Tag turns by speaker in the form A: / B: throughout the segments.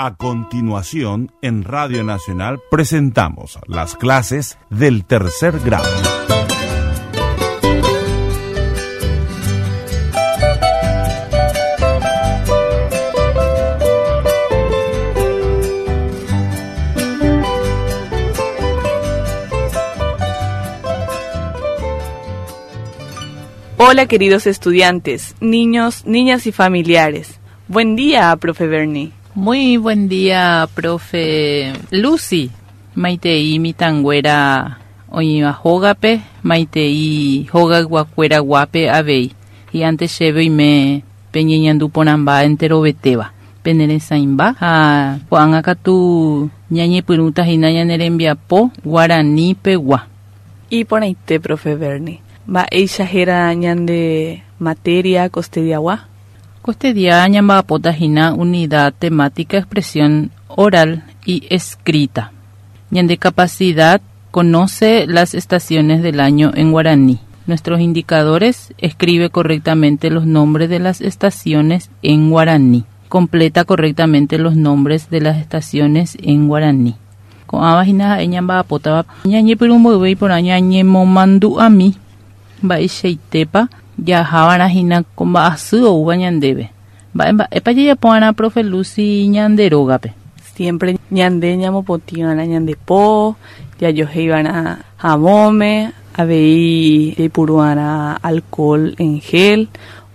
A: A continuación, en Radio Nacional presentamos las clases del tercer grado.
B: Hola queridos estudiantes, niños, niñas y familiares. Buen día, profe Bernie.
C: Muy buen día, profe Lucy. Maitei mitãnguéra oĩva hógape, maitei hogayguakuéra guápe avei. Hi'ánte chéve oime peñeñandu porãmba enterovetéva, pene resãimba ha ko'ág̃a katu ñañepyrũta hína ñane rembiapo guarani pegua.
B: Iporãite, profe Bernie. Mba'éicha héra ñande materia kostediagua?
C: Kostedia ñamba'apóta hína Unidad Temática Expresión Oral y Escrita. Ñande capacidad Conoce las estaciones del año en guaraní. Nuestros indicadores Escribe correctamente los nombres de las estaciones en guaraní. Completa correctamente los nombres de las estaciones en guaraní. Ko'ãva hína ha'e ñamba'apótava ñañepyrũ mboyve iporã ñañemomandu'ami mba'eichaitépa jahava'erã hína ko mba'asy oúva ñandéve. Mba'e mba'épa jajapova'erã profe Lucy ñande rógape?
B: Siempre ñande ñamopotĩva'erã ñande po, jajohéiva'erã havõme, avei jaipuruva'erã alcohol en gel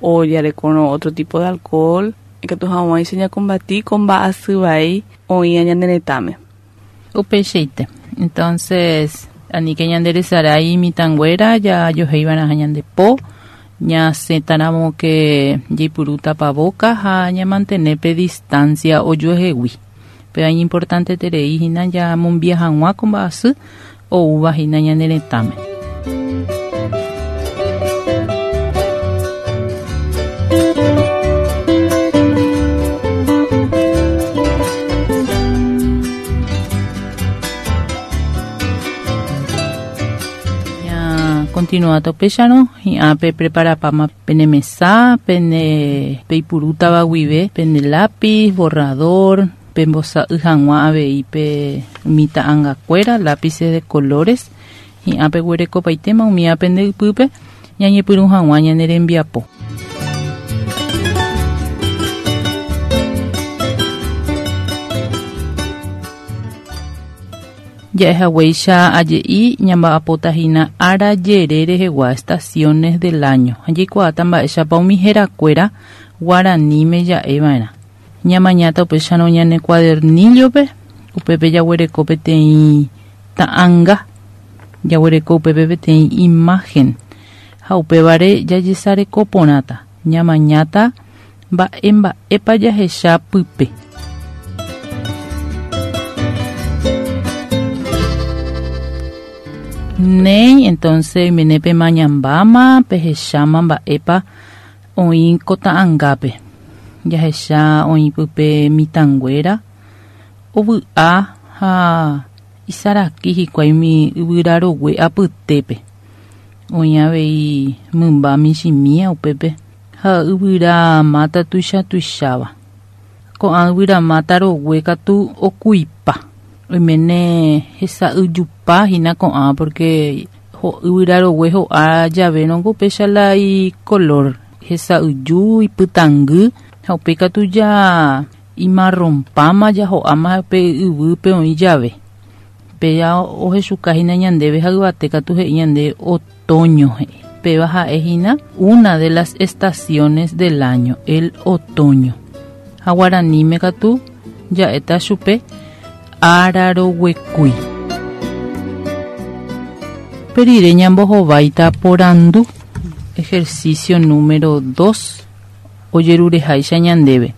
B: o jarekórõ otro tipo de alcohol ikatu hag̃uáicha ñakombati ko mba'asy vai oĩva ñane retãme.
C: Upeichaite. Entonces, aníke ñande resarái mitãnguéra jajohéiva'erãha ñande po, ñasẽtaramo ke jaipuru tapavoka ha ñamantene pe distancia ojuehegui. Péva iñimportanteterei hína jamombia hag̃ua ko mba'asy oúva hína ñane retãme. Ñakontinuáta upéicharõ, hi'ã pepreparapáma pene mesa, pene peipurútava guive, pende lápiz, borrador, Pembosa'y hag̃ua avei pe umi ta'angakuéra, lápices de colores, hi'ã peguerekopaitéma umíva pende ypýpe ñañepyrũ hag̃ua ñane rembiapo. Ja'ehaguéicha aje'i ñamba'apóta hína ára jere rehegua estaciones del año ha jaikuaáta mba'éichapa umi herakuéra guaraníme ja'eva'erã. Ñamañáta upéicharõ ñane cuadernillo-pe, upépe jaguereko peteĩ ta'anga, jaguereko upépe peteĩ imagen, ha upévare jajesareko porãta, ñamañáta mba'e mba'épa jahecha pype. Néi, entonce oimene pemañambáma, pehecháma mba'épa Oĩ ko ta'angápe, jahecha oĩ pype mitãnguéra ovy'a ha isaraki hikuái umi yvyra rogue apytépe. Oĩ avei mymba michĩmía upépe ha yvyra máta tuicha tuicháva. Ko'ã yvyra máta rogue katu okuipa. Oiméne hesa'yjupa hína ko'ã pórke yvyra rogue ho'a javérõngo upéicha la ikolór, hesa'yju, ipytãngy ha upéi katu ja imarronpáma, ja ho'áma pe yvýpe oĩ jave. Péva ohechuka hína ñandéve ha yvate katu he'i ñande otoño he'i. Péva ha'e hína una de las estaciones del año, el otoño. Ha guaraníme katu ja'éta chupe ára roguekúi. Upe rire ñambohováita porandu, ejercicio número dos, ojerureháicha ñandéve.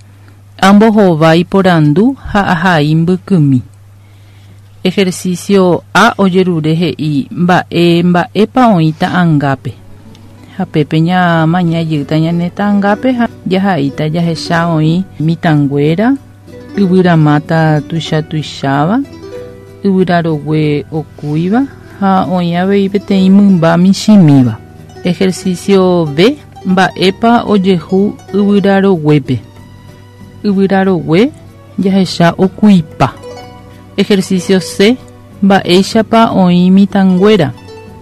C: Ambohovái porandu ha ahai mbykymi. Ejercicio A ojerure he'i mba'e mba'épa oĩ ta'angápe. Ha pépe ñamaña jeýta ñane ta'angápe ha jahaíta jahecha oĩ mitãnguéra, yvyramáta tuicha tuicháva, yvyra rogue okúiva ha oĩ avei peteĩ mymba michĩmíva. Ejercicio B Mba'épa ojehu yvyra roguépe. Yvyra rogue. jahecha okuipa. Ejercicio C. Mba'éichapa oĩ mitãnguéra.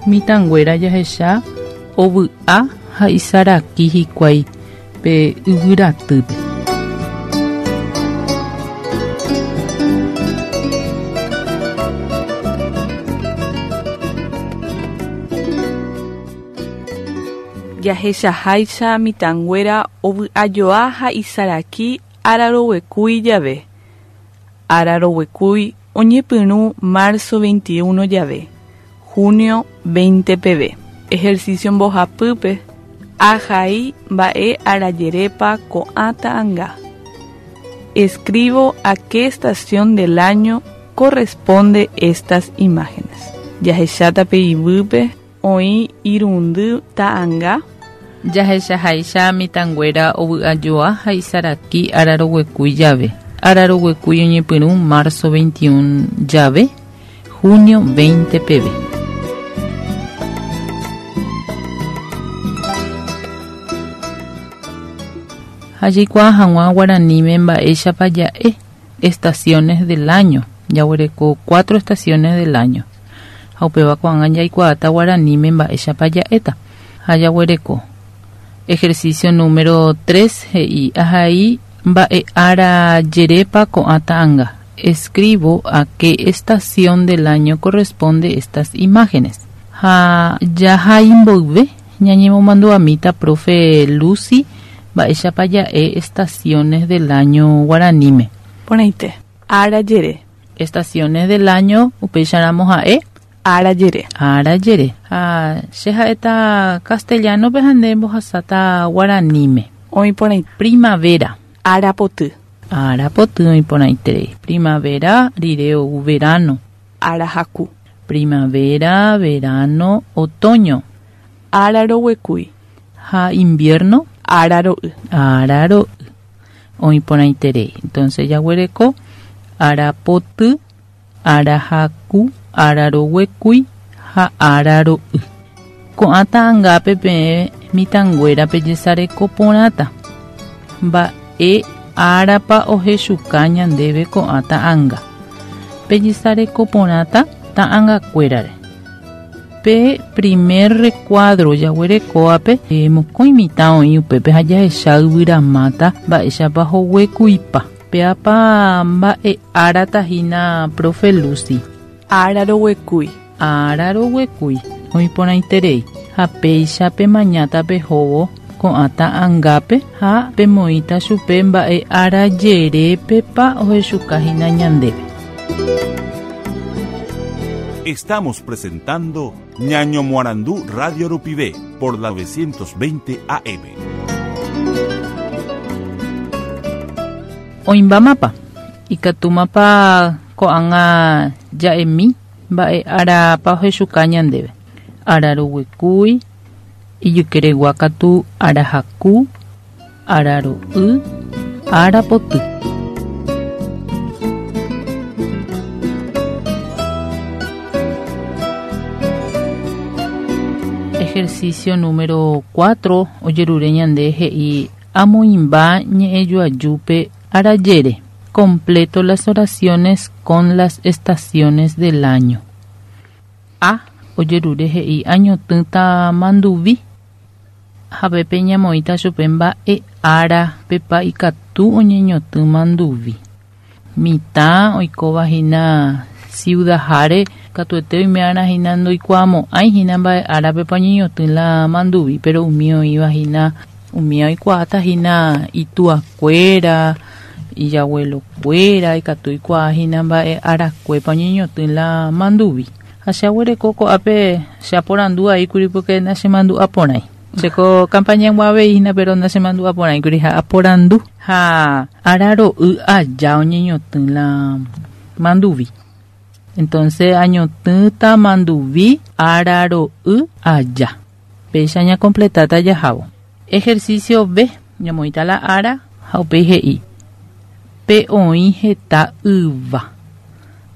C: Mitãnguéra jahecha ovy'a ha isaraki hikuái pe yvyratýpe.
B: Jahechaháicha mitãnguéra ovy'ajoa ha isaraki araroguekúi jave. Araroguekúi oñepyrũ marzo 21 jave, junio 20 peve. Ejercicio mbohapýpe, ahai mba'e arajerépa ko'ã ta'anga. Escribo a qué estación del año corresponde estas imágenes. Jahecháta pe yvýpe oĩ irundy ta'anga.
C: Jahechaháicha mitãnguéra ovy'ajoa ha isaraki araroguekúi jave. Araroguekúi oñepyrũ marzo 21 jave, junio 20 peve. Ha jaikuaa hag̃ua guaraníme mba'éichapa ja'e estaciones del año. Jaguereko 4 estaciones del año. Ha upéva ko'ág̃a jaikuaáta guaraníme mba'éichapa ja'éta. Ha jaguereko ejercicio número 3 he'i ahai mba'e ára jerépa ko'ã ta'anga. Escribo a qué estación del año corresponde estas imágenes. Ha jahai mboyve ñañemomandu'amíta profe Lucy mba'éichapa ja'e estaciones del año guaraníme.
B: Porãite. Ára jere.
C: Estaciones del año upéicharamo ha'e
B: Ára jere.
C: Ára jere. Ha che ha'éta castellano-pe ha nde mbohasáta guaraníme.
B: Oĩ porãite.
C: Primavera.
B: Ára poty.
C: Ára poty oĩ porãiterei. Primavera rire ou verano.
B: Ára haku.
C: Primavera, verano, otoño.
B: Ára roguekúi.
C: Ha invierno.
B: Ára ro'y.
C: Ára ro'y. Oĩ porãiterei. Entonces jaguereko ára poty, ára haku, ára roguekúi ha ára ro'y. Ko'ã ta'angápe peẽ mitãnguérape jesareko porãta. Mba'e árapa ohechuka ñandéve ko'ã ta'anga. Pejesareko porãta ta'angakuérare. Pe primer recuadro jaguerekóvape mokõi mitã oĩ upépe ha jahecha yvyramáta mba'éichapa hoguekuipa. Péapa mba'e árata hína profe Lucy.
B: Ára roguekúi.
C: Ára roguekúi. Oĩ porãiterei. Ha péicha pemañáta pehóvo ko'ã ta'angápe ha pemoĩta chupe mba'e ára jerépepa ohechuka hína ñandéve.
A: Estamos presentando Ñaño Moarandú Radio Rupivé por la 920 AM.
C: Oĩmbámapa ikatúmapa ko'ág̃a ja'emi mba'e árapa ohechuka ñandéve. Ára roguekúi, ijykeregua katu ára haku, ára ro'y, ára poty. Ejercicio número 4 ojerure ñande he'i amoĩmba ñe'ẽjoajúpe arajere. Completo las oraciones con las estaciones del año. A. Ojerure he'i añotỹta manduvi. Ha pépe ñamoĩta chupe mba'e ára pepa ikatu oñeñotỹ manduvi. Mitã oikóva hína ciudaháre katuete oime'arã hína ndoikuaamo'ãi hína mba'e árapepa oñeñotỹ la manduvi, pero umi oĩva hína umi oikuaáta hína ituakuéra, ijabuelokuéra, ikatu oikuaa hína mba'e arakuépa oñeñotỹ la manduvi. Ha che aguereko ko'ápe che aporandu aíkuri porque nachemandu'aporãi. Cheko campaña avei hína pero nachemandu'aporãikuri ha aporandu ha ára ro'y aja oñeñotỹ la manduvi. Entonces añotỹta manduvi ára ro'y aja. Péicha ñacompletáta jahávo. Ejercicio B. Ñamoĩta la ára ha upéi he'i. Pe oĩ heta yva.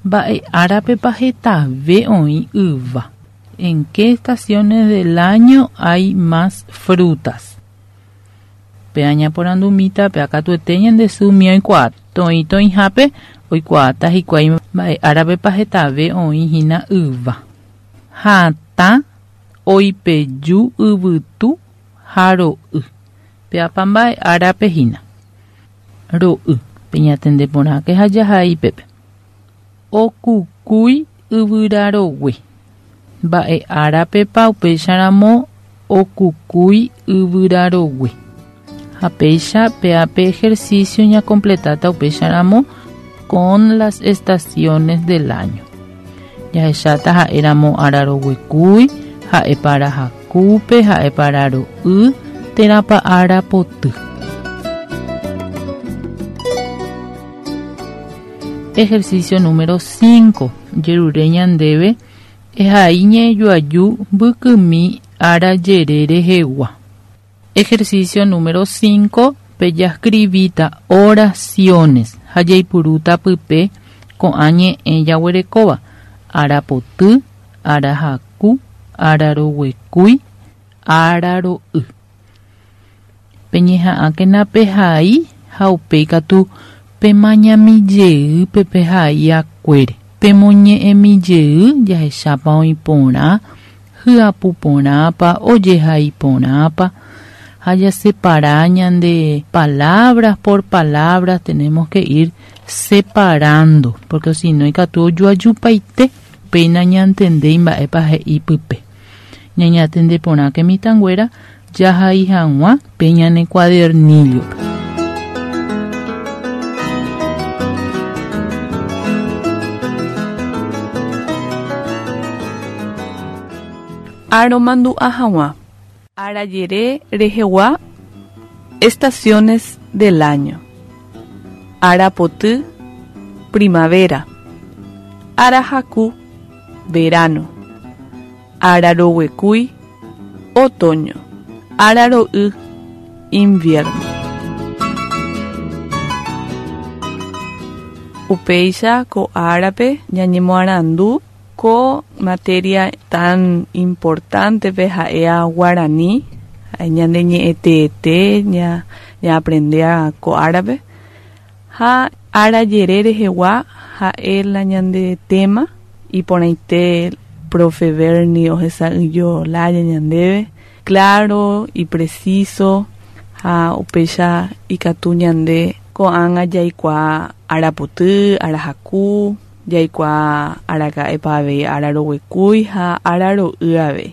C: Mba'e árapepa hetave oĩ yva. ¿En qué estaciones del año hay más frutas? Pe añaporandumíta pe akatuete ñande sy umi oikuaa. Toĩ toĩhápe oikuaáta hikuái mba'e árapepa hetave oĩ hína yva. Hatã oipeju yvytu ha ro'y. Péapa mba'e árape hína. Ro'y. Peñatende porãke ha jahai pépe. Okukúi yvyra rogue. Mba'e árapepa upéicharamo okukúi yvyra rogue. Ha péicha péa pe ejercicio ñakompletáta upéicharamo con las estaciones del año. Jahecháta ha'éramo ára roguekúi, ha'épa ára hakúpe, ha'épa ára ro'y, térãpa ára poty. Ejercicio número 5. Jerure ñandéve ehai ñe'ẽjoaju mbykymi ára jere rehegua. Ejercicio número 5. Pejascribíta oraciones ha jaipurúta pype ko'ã ñe'ẽ jaguerekóva, ára poty, ára haku, ára roguekúi, ára ro'y. Peñeha'ãkena pehai ha upéi katu pemañami jey pe pehai akuére. Pemoñe'ẽmi jey jahechápa oĩ porã, hyapu porãpa, ojehai porãpa, ha jasepara ñande palabras por palabras tenemos que ir separando, porque si no ikatu ojoajupaite péina ñantendéi mba'épa he'i pype. Ñañatende porãke mitãnguéra jahai hag̃ua pe ñane cuadernillo-pe.
B: Aromandu'a hag̃ua. Arajere rehegua Estaciones del año. Arapoty, primavera. Arahaku, verano. Araroguekúi, otoño. Araro'y, invierno. Upéicha ko árape ñañemoarandu Ko materia tan importante-pe ha'éa guarani, ha'e ñande ñe'ẽteete ñaaprendéa ko árape, ha ára jere rehegua ha'e la ñande tema, iporãite profe Bernie ohesa'ỹijo lája ñandéve, claro y preciso ha upéicha ikatu ñande ko'ág̃a jaikuaa ára poty, ára haku, Jaikuaa araka'épa avei ára roguekúi ha ára ro'y avei.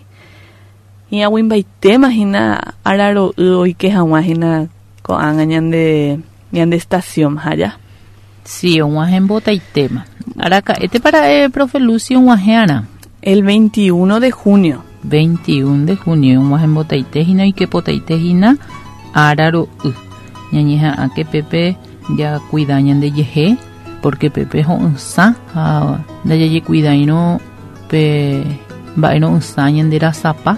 B: Hi'ag̃uimbaitéma hína ára ro'y oike hag̃ua hína ko'ág̃a ñande ñande estación ha ja.
C: Sí, og̃uahẽ mbotaitéma. Araka'étepa ra'e profe Lucy og̃uahẽ arã?
B: El 21 de junio.
C: 21 de junio og̃uahẽ mbotaite hína oike potaite hína ára ro'y. Ñañeha'ãke pépe jakuida ñandejehe. Pórke pépe ho'ysã ha ndajajekuidáirõ pe mba'e ro'ysã ñande rasapa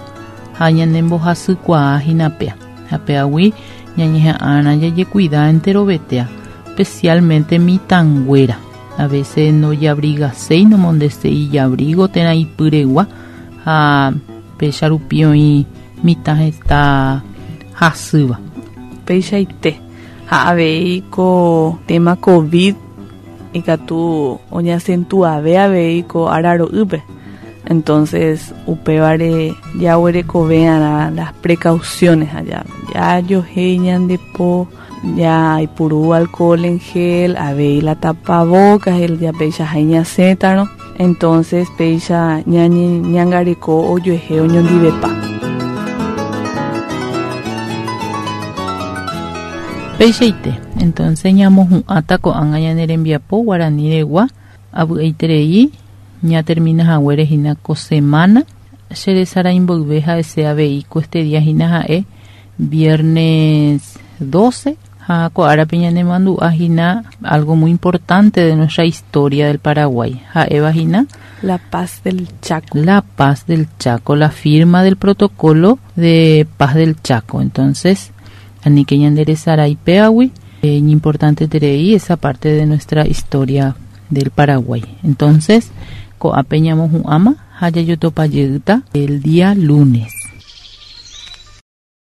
C: ha ñanembohasykuaa hína péa. Ha péagui ñañeha'ãrã jajekuida enterovetéa, espesiálmente mitãnguéra. A vése ndojabrigaséi, nomondeséi ijavrígo térã ipyregua ha péicha rupi oĩ mitã heta hasýva.
B: Peichaite. Ha avei ko tema covid ikatu oñeacentuave avei ko ára ro'ýpe. Entonces upévare jaguerekove'arã las precauciones ha jajohéi ñande po, jaipuru alcohol en gel, avei la tapabocas, el japeichaha ñasẽtarõ. Entonces péicha ñañangareko ojuehe oñondivepa.
C: Peichaite, entonces ñamohu'ãta ko'ág̃a ñane rembiapo guarani regua avy'aiterei ñatermina haguére hína ko semana che resarái mboyve ha'ese avei ko este día hína ha'e viernes 12 Ha ko árape ñanemandu'a hína algo muy importante de nuestra historia del Paraguay, ha'éva hína
B: La Paz del Chaco.
C: La Paz del Chaco, la firma del protocolo de Paz del Chaco. Entonces, aníke ñanderesarái péagui, iñimportanteterei esa parte de nuestra historia del Paraguay. Entonces, ko'ápe ñamohu'ãma ha jajotopa jeýta el día lunes.